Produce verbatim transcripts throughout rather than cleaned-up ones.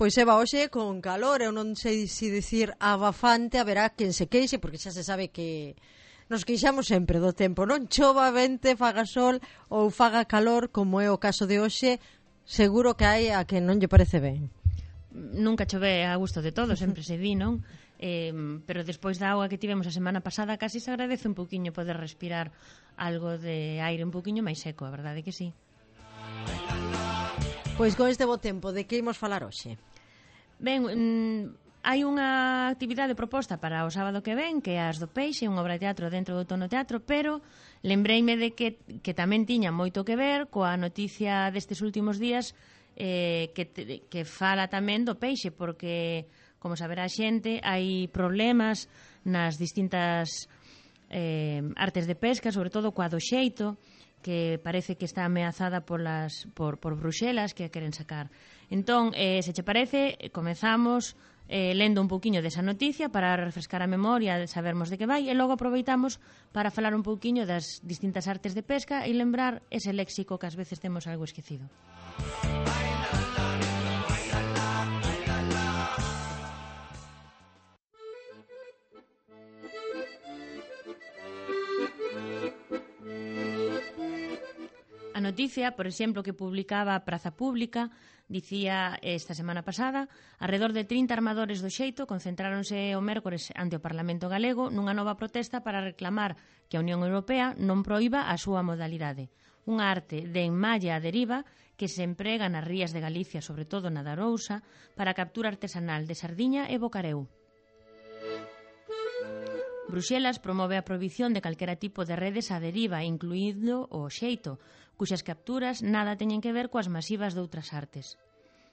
Pois Eva, hoxe con calor, eu non sei se dicir abafante, haberá quen se queixe, porque xa se sabe que nos queixamos sempre do tempo, non chova, vente, faga sol ou faga calor, como é o caso de hoxe, seguro que hai a que non lle parece ben. Nunca chove a gusto de todo, sempre se di, non? Eh, pero despois da auga que tivemos a semana pasada casi se agradece un poquinho poder respirar algo de aire un poquinho máis seco, a verdade que sí. Pois con este bo tempo, de que imos falar hoxe? Ben, mmm, hai unha actividade proposta para o sábado que ven, que é as do Peixe, unha obra de teatro dentro do Tono Teatro, pero lembreime de que, que tamén tiña moito que ver coa noticia destes últimos días eh, que, te, que fala tamén do peixe, porque, como saberá a xente, hai problemas nas distintas eh, artes de pesca, sobre todo coa do xeito, que parece que está ameazada polas, por, por Bruxelas, que a queren sacar. Entón, eh, se che parece, comezamos eh, lendo un pouquiño desa noticia para refrescar a memoria, sabermos de que vai, e logo aproveitamos para falar un pouquiño das distintas artes de pesca e lembrar ese léxico que ás veces temos algo esquecido. A noticia, por exemplo, que publicaba a Praza Pública, dicía esta semana pasada, arredor de trinta armadores do xeito concentráronse o mércores ante o Parlamento Galego nunha nova protesta para reclamar que a Unión Europea non proíba a súa modalidade. Unha arte de enmalla a deriva que se emprega nas rías de Galicia, sobre todo na da Arousa, para a captura artesanal de sardiña e bocareu. Bruxelas promove a prohibición de calquera tipo de redes a deriva, incluído o xeito, cuxas capturas nada teñen que ver coas masivas doutras artes.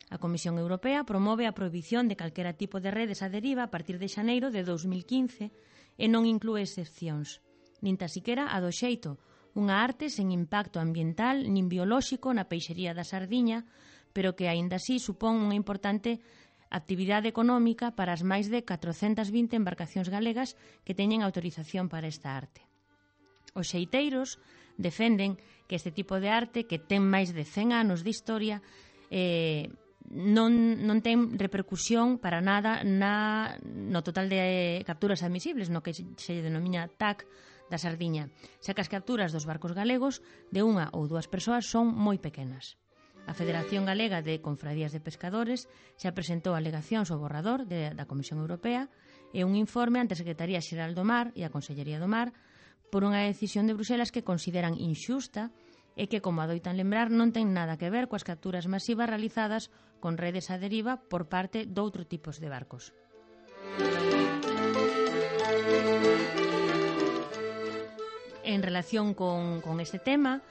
A Comisión Europea promove a prohibición de calquera tipo de redes a deriva a partir de xaneiro de dous mil quince e non inclúe excepcións, nin tan siquera a do xeito, unha arte sen impacto ambiental nin biolóxico na peixería da sardiña, pero que aínda así supón unha importante actividade económica para as máis de catrocentas vinte embarcacións galegas que teñen autorización para esta arte. Os xeiteiros defenden que este tipo de arte, que ten máis de cen anos de historia, eh, non, non ten repercusión para nada na, no total de capturas admisibles, no que se denomina T A C da sardiña, xa que as capturas dos barcos galegos de unha ou dúas persoas son moi pequenas. A Federación Galega de Confradías de Pescadores xa presentou alegacións ao borrador de, da Comisión Europea e un informe ante a Secretaría Xeral do Mar e a Consellería do Mar por unha decisión de Bruxelas que consideran inxusta e que, como adoitan lembrar, non ten nada que ver coas capturas masivas realizadas con redes a deriva por parte doutro tipos de barcos. En relación con, con este tema,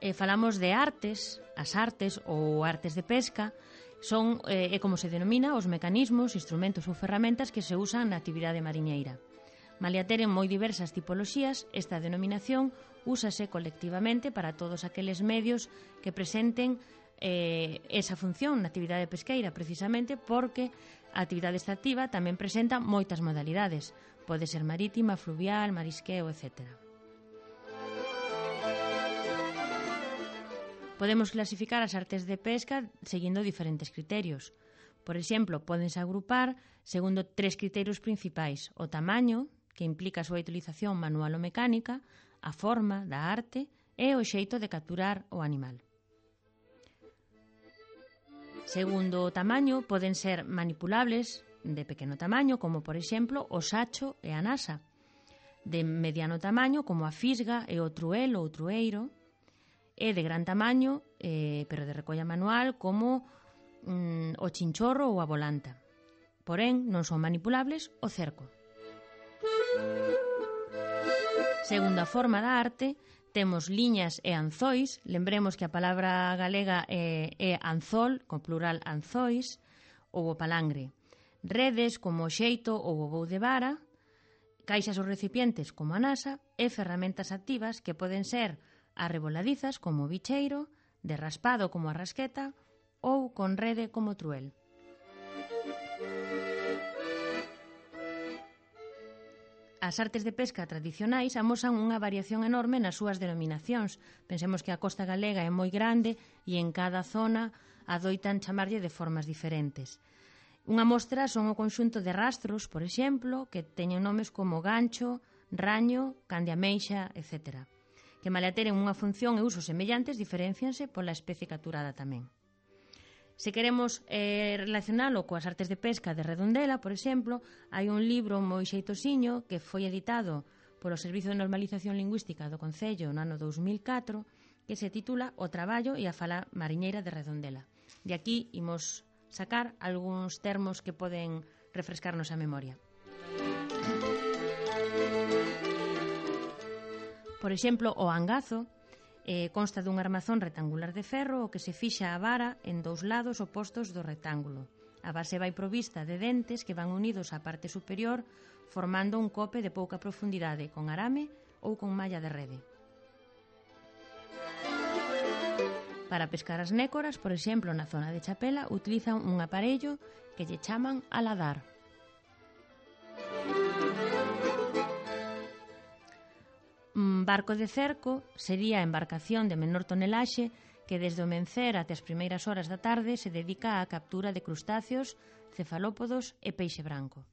eh, falamos de artes, as artes ou artes de pesca, son, eh, é como se denomina, os mecanismos, instrumentos ou ferramentas que se usan na actividade mariñeira. Malia teren moi diversas tipoloxías, esta denominación úsase colectivamente para todos aqueles medios que presenten eh, esa función na actividade pesqueira, precisamente porque a actividade extractiva tamén presenta moitas modalidades. Pode ser marítima, fluvial, marisqueo, etcétera. Podemos clasificar as artes de pesca seguindo diferentes criterios. Por exemplo, pódense agrupar segundo tres criterios principais: o tamaño, que implica a súa utilización manual ou mecánica, a forma da arte e o xeito de capturar o animal. Segundo o tamaño, poden ser manipulables de pequeno tamaño, como por exemplo o sacho e a nasa, de mediano tamaño, como a fisga e o truel ou trueiro, e de gran tamaño, eh, pero de recolla manual, como mm, o chinchorro ou a volanta. Porén, non son manipulables o cerco. Segundo a forma da arte, temos liñas e anzois. Lembremos que a palabra galega é, é anzol, con plural anzois, ou o palangre. Redes como o xeito ou o vou de vara, caixas ou recipientes como a nasa e ferramentas activas que poden ser arreboladizas como o bicheiro, de raspado como a rasqueta ou con rede como o truel. As artes de pesca tradicionais amosan unha variación enorme nas súas denominacións. Pensemos que a costa galega é moi grande e en cada zona adoitan chamarlle de formas diferentes. Unha mostra son o conxunto de rastros, por exemplo, que teñen nomes como gancho, raño, can de ameixa, etcétera, que malia teren unha función e usos semellantes, diferencianse pola especie capturada tamén. Se queremos eh, relacionalo coas artes de pesca de Redondela, por exemplo, hai un libro moi xeitosiño que foi editado polo Servizo de Normalización Lingüística do Concello no ano dous mil catro, que se titula O traballo e a fala mariñeira de Redondela. De aquí imos sacar algúns termos que poden refrescarnos a memoria. Por exemplo, o angazo eh, consta dun armazón rectangular de ferro o que se fixa a vara en dous lados opostos do rectángulo. A base vai provista de dentes que van unidos á parte superior formando un cope de pouca profundidade con arame ou con malla de rede. Para pescar as nécoras, por exemplo, na zona de Chapela, utilizan un aparello que lle chaman aladar. Un barco de cerco sería a embarcación de menor tonelaxe que desde o mencer até as primeiras horas da tarde se dedica á captura de crustáceos, cefalópodos e peixe branco.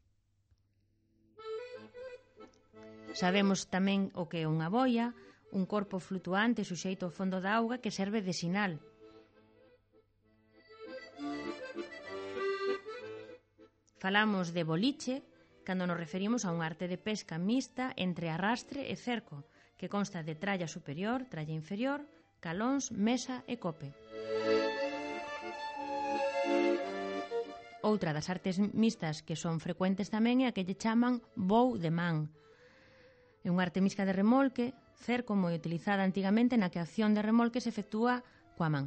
Sabemos tamén o que é unha boia, un corpo flutuante suxeito ao fondo da auga que serve de sinal. Falamos de boliche cando nos referimos a un arte de pesca mixta entre arrastre e cerco, que consta de tralla superior, tralla inferior, calóns, mesa e cope. Outra das artes mixtas que son frecuentes tamén é a que lle chaman voo de man. É unha arte mixta de remolque, cerco moi utilizada antigamente na que a acción de remolque se efectúa coa man.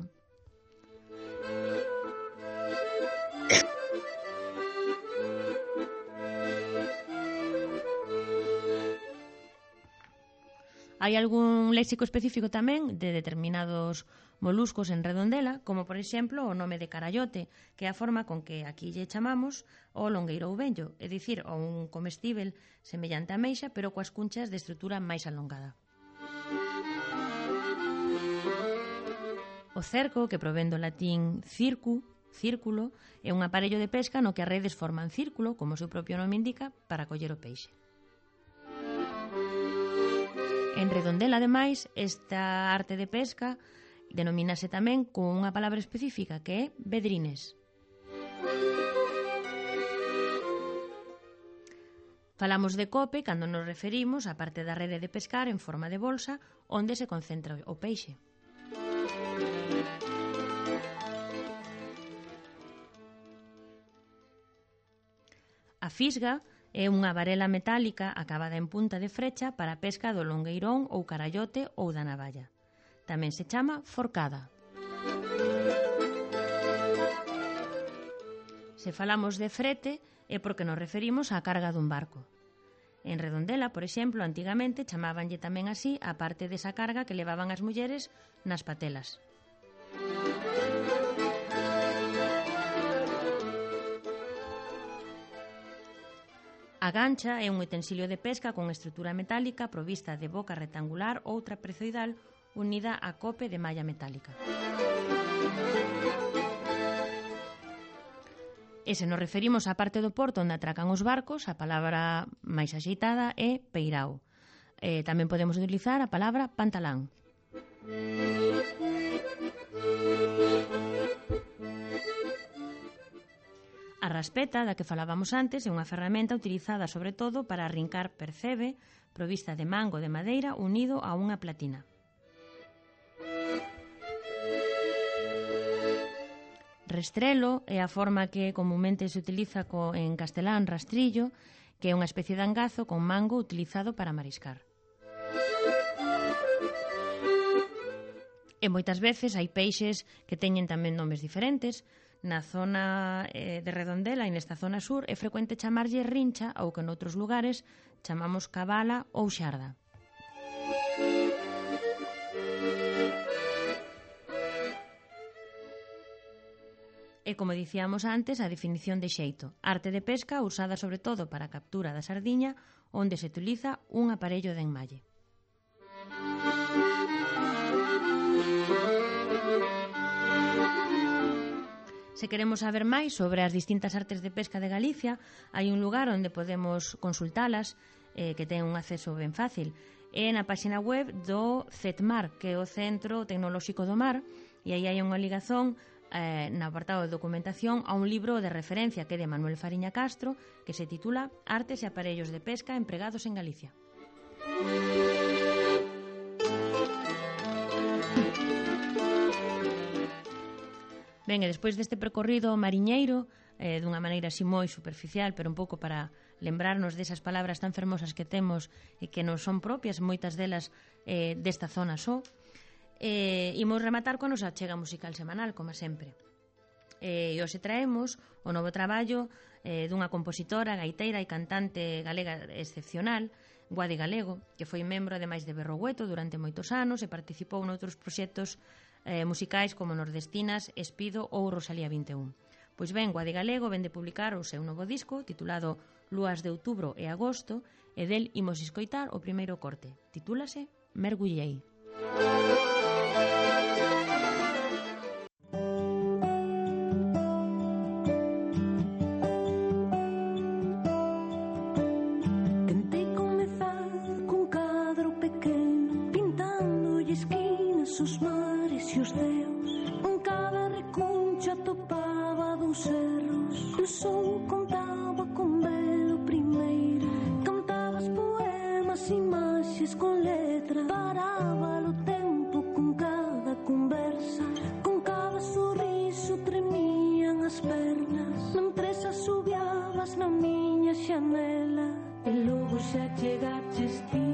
Hai algún léxico específico tamén de determinados moluscos en Redondela, como por exemplo o nome de carallote, que é a forma con que aquí lle chamamos o longueiro ou vello, é dicir, o un comestíbel semellante a meixa, pero coas cunchas de estrutura máis alongada. O cerco, que provén do latín circu, círculo, é un aparello de pesca no que as redes forman círculo, como o seu propio nome indica, para coller o peixe. En Redondela, ademais, esta arte de pesca denomínase tamén con unha palabra específica que é vedrines. Falamos de cope cando nos referimos á parte da rede de pescar en forma de bolsa onde se concentra o peixe. A fisga é unha varela metálica acabada en punta de frecha para a pesca do longueirón ou carallote ou da navalla. Tamén se chama forcada. Se falamos de frete é porque nos referimos á carga dun barco. En Redondela, por exemplo, antigamente chamábanlle tamén así a parte desa carga que levaban as mulleres nas patelas. A gancha é un utensilio de pesca con estrutura metálica provista de boca rectangular ou trapezoidal unida a cope de malla metálica. E se nos referimos á parte do porto onde atracan os barcos, a palabra máis axeitada é peirao. E tamén podemos utilizar a palabra pantalán. A raspeta, da que falábamos antes, é unha ferramenta utilizada sobre todo para arrincar percebe, provista de mango de madeira unido a unha platina. Restrelo é a forma que comunmente se utiliza co, en castelán rastrillo, que é unha especie de angazo con mango utilizado para mariscar. E moitas veces hai peixes que teñen tamén nomes diferentes. Na zona eh, de Redondela e nesta zona sur é frecuente chamarlle rincha ou que noutros lugares chamamos cabala ou xarda. E como dicíamos antes, a definición de xeito, arte de pesca usada sobre todo para a captura da sardiña, onde se utiliza un aparello de enmalle. Se queremos saber máis sobre as distintas artes de pesca de Galicia, hai un lugar onde podemos consultalas, eh, que ten un acceso ben fácil. É na páxina web do CETMAR, que é o Centro Tecnolóxico do Mar, e aí hai unha ligazón eh, no apartado de documentación a un libro de referencia que é de Manuel Fariña Castro, que se titula Artes e aparellos de pesca empregados en Galicia. Ben, e despois deste percorrido mariñeiro, eh, dunha maneira así moi superficial, pero un pouco para lembrarnos desas palabras tan fermosas que temos e que non son propias, moitas delas eh, desta zona só, eh, imos rematar coa nosa achega musical semanal, como sempre. Eh, e hoxe traemos o novo traballo eh, dunha compositora, gaiteira e cantante galega excepcional, Guadi Galego, que foi membro ademais de Berrogueto durante moitos anos e participou noutros proxectos eh, musicais como Nordestinas, Espido ou Rosalía vinte e un. Pois ben, Guadi Galego vende publicar o seu novo disco titulado Lúas de Outubro e Agosto e del imos escoitar o primeiro corte. Titúlase Mergullei. Tentei comezar cun cadro pequeno, pintando esquinas os mares e os deus. En cada recuncha topaba dous erros, o sol contaba con velo primeiro. Cantabas poemas, imaxes con letra, paraba o tempo con cada conversa. Con cada sorriso tremían as pernas, mentres asubiabas na miña xanela. E logo xa chegaches ti,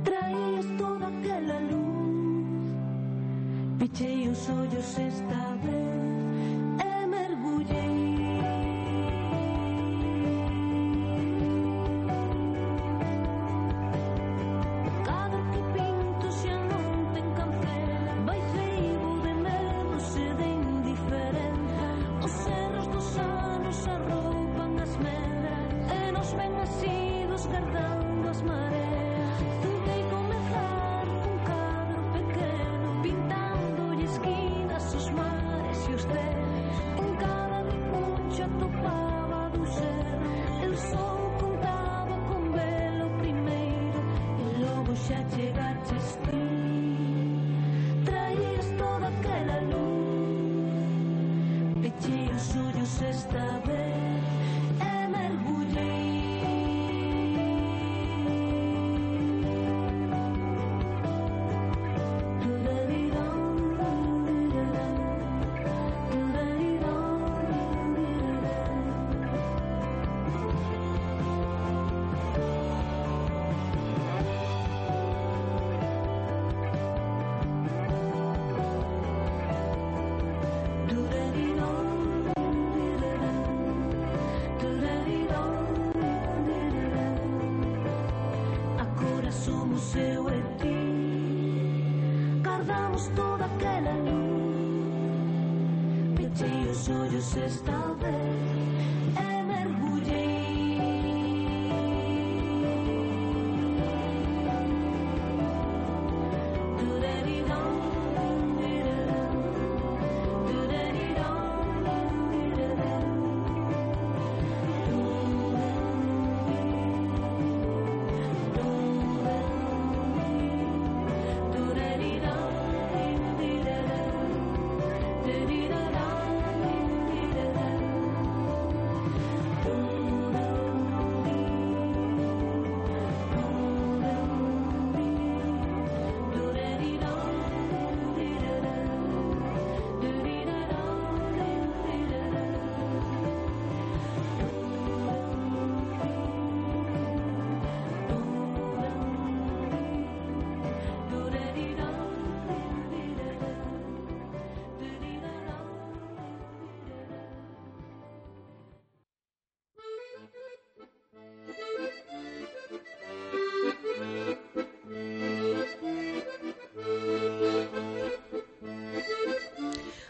traías toda aquela luz. Pichei os ollos esta vez e mergullei. Cada que pinto xa non ten cancela, vai feibo de medos e de indiferenza. Os cerros dos anos arroupan as medras e nos ven asidos guardando as mareas. Tentei comezar cun cadro pequeno, pintando esquinas os mares e os deus. En cada recuncha topaba dous erros, el sol contaba con velo primeiro. E logo xa chegaches ti, traías toda aquela luz. Pechei os ollos esta vez e mergullei. Agora somos eu e ti, guardamos toda aquela luz. Pechei os ollos esta vez e mergullei.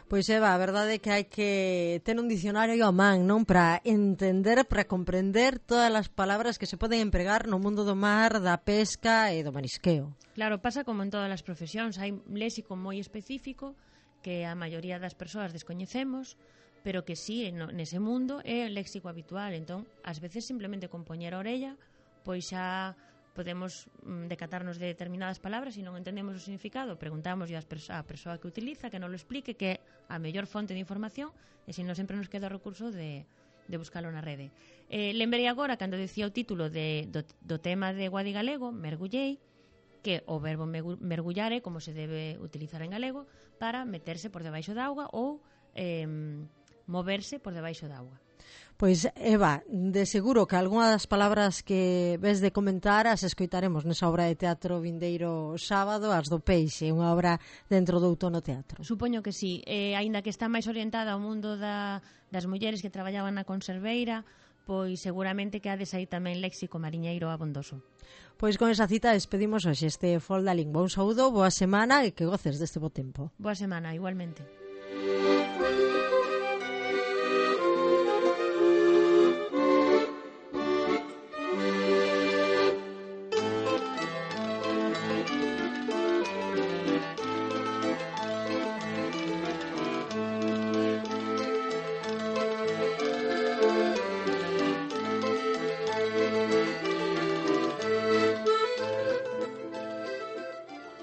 Pois Eva, a verdade é que hai que ter un dicionario a man, non? Para entender, para comprender todas as palabras que se poden empregar no mundo do mar, da pesca e do marisqueo. Claro, pasa como en todas as profesións, hai léxico moi específico que a maioría das persoas descoñecemos, pero que sí, no, nese mundo é o léxico habitual. Entón, ás veces simplemente con poñer a orella, pois xa podemos mm, decatarnos de determinadas palabras e non entendemos o significado, preguntamos á persoa que utiliza, que non lo explique, que é a mellor fonte de información, e se non sempre nos queda o recurso de, de buscalo na rede. Eh, lembrei agora, cando decía o título de, do, do tema de Guadi Galego, mergullei, que o verbo mergullar é como se debe utilizar en galego para meterse por debaixo da auga ou eh, moverse por debaixo da auga. Pois, Eva, de seguro que algunha das palabras que ves de comentar as escoitaremos nesa obra de teatro vindeiro sábado, as do Peixe, unha obra dentro do Outono Teatro. Supoño que sí, eh, aínda que está máis orientada ao mundo da, das mulleres que traballaban na conserveira, pois seguramente que hades aí tamén léxico mariñeiro abondoso. Pois con esa cita despedimos hoxe este Folda Lingua. Un saúdo, boa semana e que goces deste bo tempo. Boa semana, igualmente.